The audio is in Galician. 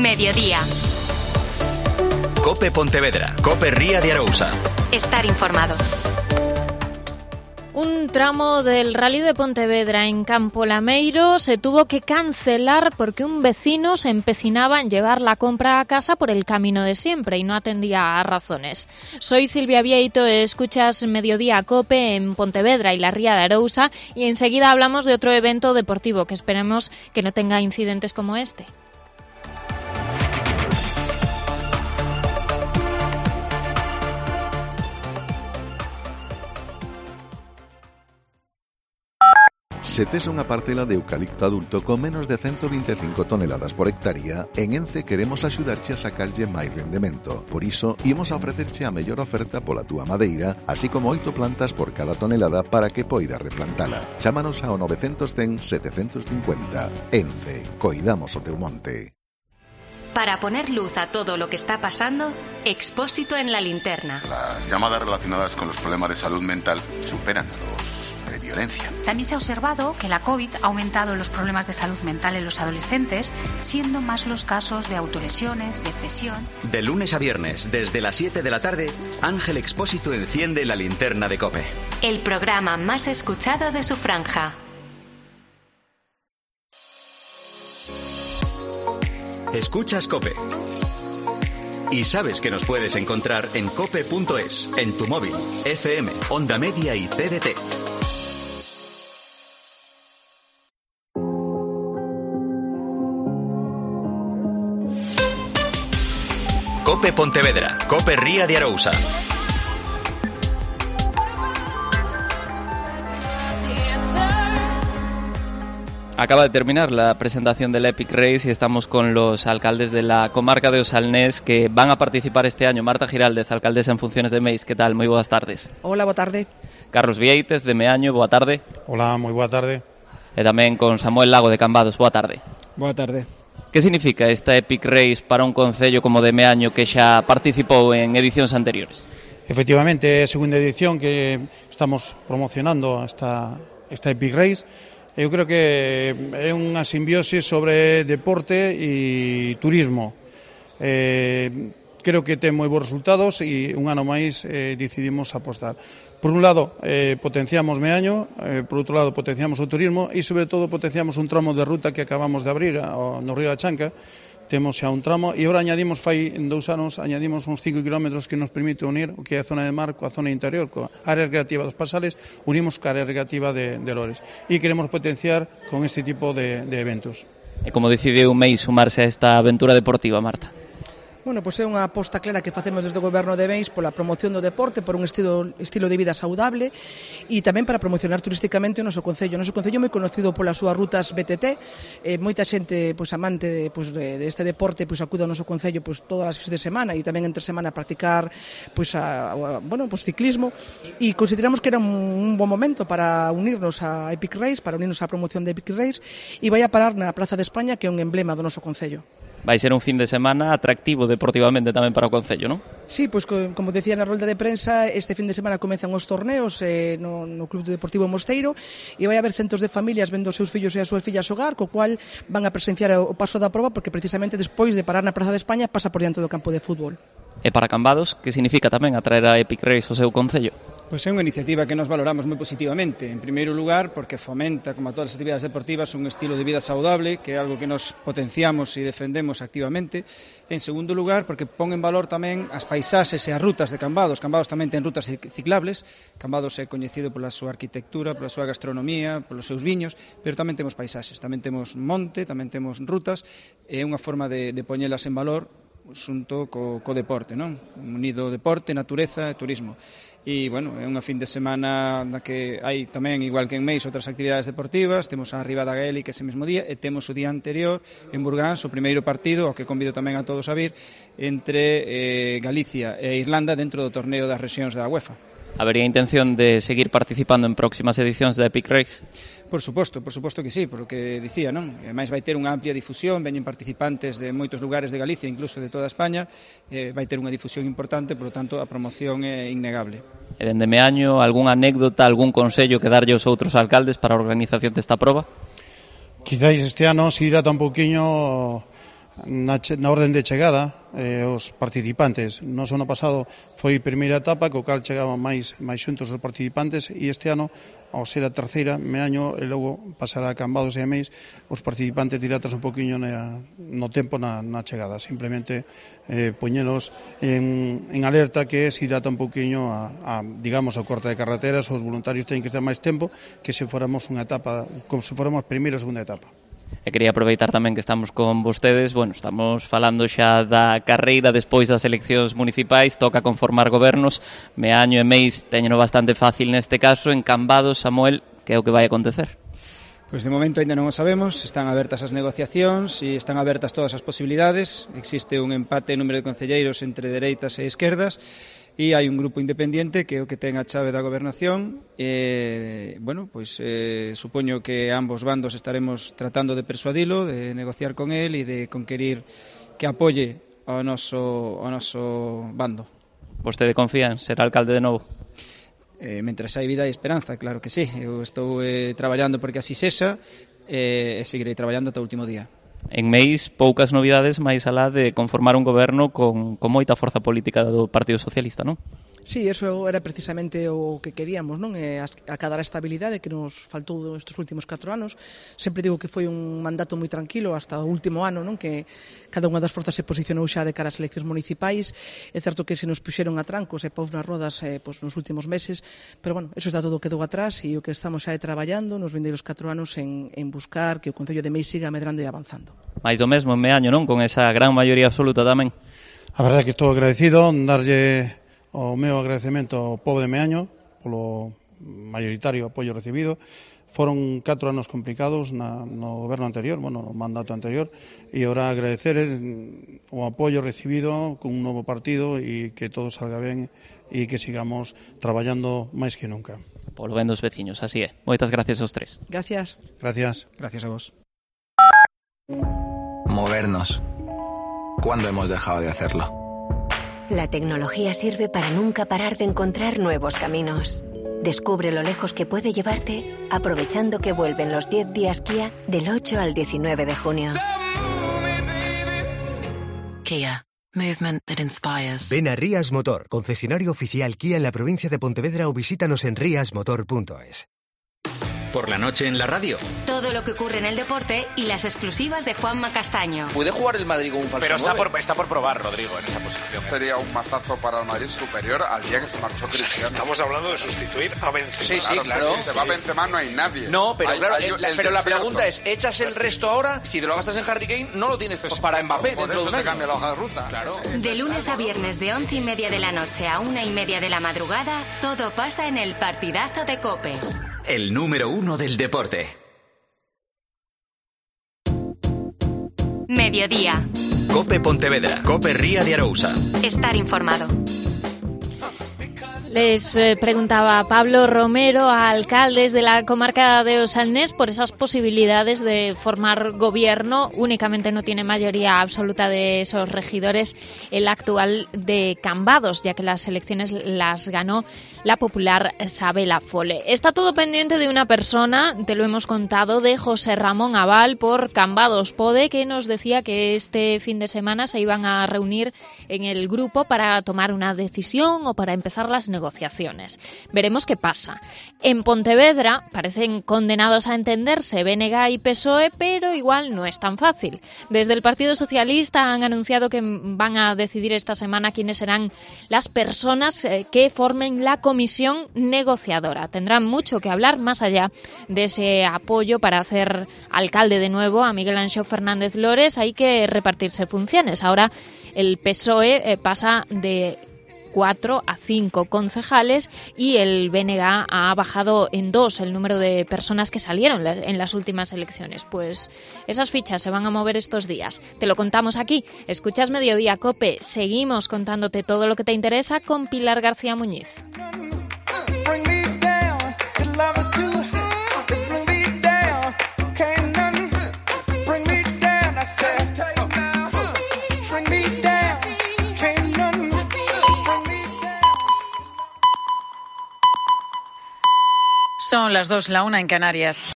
Mediodía. Cope Pontevedra, Cope Ría de Arousa. Estar informado. Un tramo del Rally de Pontevedra en Campo Lameiro se tuvo que cancelar porque un vecino se empecinaba en llevar la compra a casa por el camino de siempre y no atendía a razones. Soy Silvia Vieito, escuchas Mediodía Cope en Pontevedra y la Ría de Arousa y enseguida hablamos de otro evento deportivo que esperemos que no tenga incidentes como este. Se tes unha parcela de eucalipto adulto con menos de 125 toneladas por hectárea, en Ence queremos axudarche a sacarlle máis rendemento. Por iso, imos a ofrecerche a mellor oferta pola túa madeira, así como 8 plantas por cada tonelada para que poidas replantala. Chámanos ao 910 750. Ence, coidamos o teu monte. Para poner luz a todo lo que está pasando, Expósito en la linterna. Las llamadas relacionadas con los problemas de salud mental superan a los de violencia. También se ha observado que la COVID ha aumentado los problemas de salud mental en los adolescentes, siendo más los casos de autolesiones, depresión. De lunes a viernes, desde las 7 de la tarde, Ángel Expósito enciende la linterna de Cope. El programa más escuchado de su franja. Escuchas Cope. Y sabes que nos puedes encontrar en cope.es, en tu móvil, FM, Onda Media y TDT. Cope Pontevedra, Cope Ría de Arousa. Acaba de terminar la presentación del Epic Race y estamos con los alcaldes de la comarca de Osalnés que van a participar este año. Marta Giraldez, alcaldesa en funciones de Meis, ¿qué tal? Moi boas tardes. Hola, boa tarde. Carlos Vieitez, de Meaño, boa tarde. Hola, moi boa tarde. E tamén con Samuel Lago, de Cambados, boa tarde. Boa tarde. Que significa esta Epic Race para un concello como de Meaño que xa participou en edicións anteriores? Efectivamente, é a segunda edición que estamos promocionando esta Epic Race. Eu creo que é unha simbiose sobre deporte e turismo. Creo que ten moi bons resultados e un ano máis decidimos apostar. Por un lado, potenciamos Meaño, por outro lado, potenciamos o turismo e, sobre todo, potenciamos un tramo de ruta que acabamos de abrir no Río da Chanca. Temos xa un tramo e agora añadimos, fai 2 anos, añadimos uns 5 kilómetros que nos permite unir o que é a zona de mar coa zona interior, coa área recreativa dos Pasales, unimos coa área recreativa de Lores e queremos potenciar con este tipo de eventos. E como decidiu Meis sumarse a esta aventura deportiva, Marta? Bueno, pois é unha aposta clara que facemos desde o Goberno de Meis pola promoción do deporte, por un estilo de vida saudable e tamén para promocionar turísticamente o noso concello. O noso concello é moi conocido polas súas rutas BTT, moita xente amante deste deporte acude ao noso concello todas as fins de semana e tamén entre semana a practicar ciclismo e consideramos que era un bon momento para unirnos a Epic Race, para unirnos á promoción de Epic Race e vai a parar na Praza de España, que é un emblema do noso concello. Vai ser un fin de semana atractivo deportivamente tamén para o concello, non? Sí, pois como decía na rolda de prensa, este fin de semana comezan os torneos no Club Deportivo Mosteiro e vai haber centos de familias vendo os seus fillos e as súas fillas xogar, co cual van a presenciar o paso da proba porque precisamente despois de parar na Praza de España pasa por diante do campo de fútbol. E para Cambados, que significa tamén atraer a Epic Race ao seu concello? Pois é unha iniciativa que nos valoramos moi positivamente. En primeiro lugar, porque fomenta, como a todas as actividades deportivas, un estilo de vida saudable, que é algo que nos potenciamos e defendemos activamente. En segundo lugar, porque pon en valor tamén as paisaxes e as rutas de Cambados. Cambados tamén ten rutas ciclables. Cambados é coñecido pola súa arquitectura, pola súa gastronomía, polos seus viños, pero tamén temos paisaxes, tamén temos monte, tamén temos rutas. É unha forma de poñelas en valor xunto co deporte, non? Unido deporte, natureza e turismo. E, bueno, é unha fin de semana na que hai tamén, igual que en Meis, outras actividades deportivas. Temos a Riba da Gaélica ese mesmo día e temos o día anterior en Burgáns o primeiro partido, ao que convido tamén a todos a vir, entre Galicia e Irlanda dentro do torneo das rexións da UEFA. Habería intención de seguir participando en próximas edicións da Epic Race? Por suposto que sí, por o que dicía, non? E máis vai ter unha amplia difusión, veñen participantes de moitos lugares de Galicia, incluso de toda España, vai ter unha difusión importante, por lo tanto a promoción é innegable. E dende Meaño, algunha anécdota, algún consello que darlle aos outros alcaldes para a organización desta proba? Quizás este ano se hidrata un poquinho na orden de chegada os participantes. No ano pasado foi primeira etapa, co cal chegaban máis xuntos os participantes, e este ano, ao ser a terceira meaño, e logo pasará a Cambados e a Meis, os participantes dilatas un poquinho no tempo na chegada. Simplemente poñelos en alerta que se dilata un poquinho digamos, a corte de carreteras. Os voluntarios teñen que estar máis tempo que se fóramos unha etapa, como se fóramos a primeira ou segunda etapa. E quería aproveitar tamén que estamos con vostedes. Bueno, estamos falando xa da carreira despois das eleccións municipais, toca conformar gobernos. Meaño e Meis teñeno bastante fácil neste caso. En Cambados, Samuel, que é o que vai acontecer? Pois de momento ainda non o sabemos, están abertas as negociacións e están abertas todas as posibilidades. Existe un empate en número de concelleiros entre dereitas e esquerdas, e hai un grupo independiente que é o que ten a chave da gobernación. Bueno, pois supoño que ambos bandos estaremos tratando de persuadilo, de negociar con él e de conquerir que apoie ao noso bando. Vostede confía en ser alcalde de novo? Mentras hai vida e esperanza, claro que sí. Eu estou traballando porque así sexa e seguirei traballando ata o último día. En Meis, poucas novidades máis alá de conformar un goberno con moita forza política do Partido Socialista, non? Sí, eso era precisamente o que queríamos, non? Acadar a estabilidade que nos faltou estes últimos 4 anos. Sempre digo que foi un mandato moi tranquilo hasta o último ano, non? Que cada unha das forzas se posicionou xa de cara ás eleccións municipais. É certo que se nos puxeron a trancos e paus nas rodas nos últimos meses, pero bueno, eso está todo quedou atrás, e o que estamos xa traballando nos vindeiros 4 anos en buscar que o Concello de Meis siga medrando e avanzando. Mais do mesmo en Meaño, non? Con esa gran maioría absoluta tamén. A verdade é que estou agradecido, darlle o meu agradecemento ao pobo de Meaño polo maioritario apoio recibido. Foron 4 anos complicados no goberno anterior, no mandato anterior, e ahora agradecer o apoio recibido con un novo partido e que todo salga ben e que sigamos traballando máis que nunca. Polo ben dos veciños, así é. Moitas gracias aos tres. Gracias. Gracias. Gracias a vos. Movernos. ¿Cuándo hemos dejado de hacerlo? La tecnología sirve para nunca parar de encontrar nuevos caminos. Descubre lo lejos que puede llevarte aprovechando que vuelven los 10 días Kia del 8 al 19 de junio. Kia. Movement that inspires. Ven a Rías Motor, concesionario oficial Kia en la provincia de Pontevedra, o visítanos en riasmotor.es. Por la noche en la radio. Todo lo que ocurre en el deporte y las exclusivas de Juanma Castaño. ¿Puede jugar el Madrid con un falso Pero nueve? está por probar, Rodrigo, en esa posición. Sería un mazazo para el Madrid superior al día que se marchó Cristiano. Estamos hablando de sustituir a Benzema. Sí, claro. Si se va Benzema no hay nadie. No, pero pero la pregunta es, ¿echas el resto ahora? Si te lo gastas en Harry Kane, no lo tienes para Mbappé dentro de un año. Te cambia la hoja de ruta. Claro. De lunes a viernes de 11:30 de la noche a 1:30 de la madrugada, todo pasa en el partidazo de COPE. El número 1 del deporte. Mediodía. COPE Pontevedra. COPE Ría de Arousa. Estar informado. Les preguntaba Pablo Romero a alcaldes de la comarca de Osalnés por esas posibilidades de formar gobierno. Únicamente no tiene mayoría absoluta de esos regidores el actual de Cambados, ya que las elecciones las ganó la popular Sabela Fole. Está todo pendiente de una persona, te lo hemos contado, de José Ramón Aval por Cambados Pode, que nos decía que este fin de semana se iban a reunir en el grupo para tomar una decisión o para empezar las negociaciones. Veremos qué pasa. En Pontevedra parecen condenados a entenderse BNG y PSOE, pero igual no es tan fácil. Desde el Partido Socialista han anunciado que van a decidir esta semana quiénes serán las personas que formen la comisión negociadora. Tendrán mucho que hablar más allá de ese apoyo para hacer alcalde de nuevo a Miguel Anxo Fernández Lores. Hay que repartirse funciones. Ahora el PSOE pasa de 4 a 5 concejales y el BNG ha bajado en 2 el número de personas que salieron en las últimas elecciones. Pues esas fichas se van a mover estos días. Te lo contamos aquí. Escuchas Mediodía COPE. Seguimos contándote todo lo que te interesa con Pilar García Muñiz. Son las 2, la 1 en Canarias.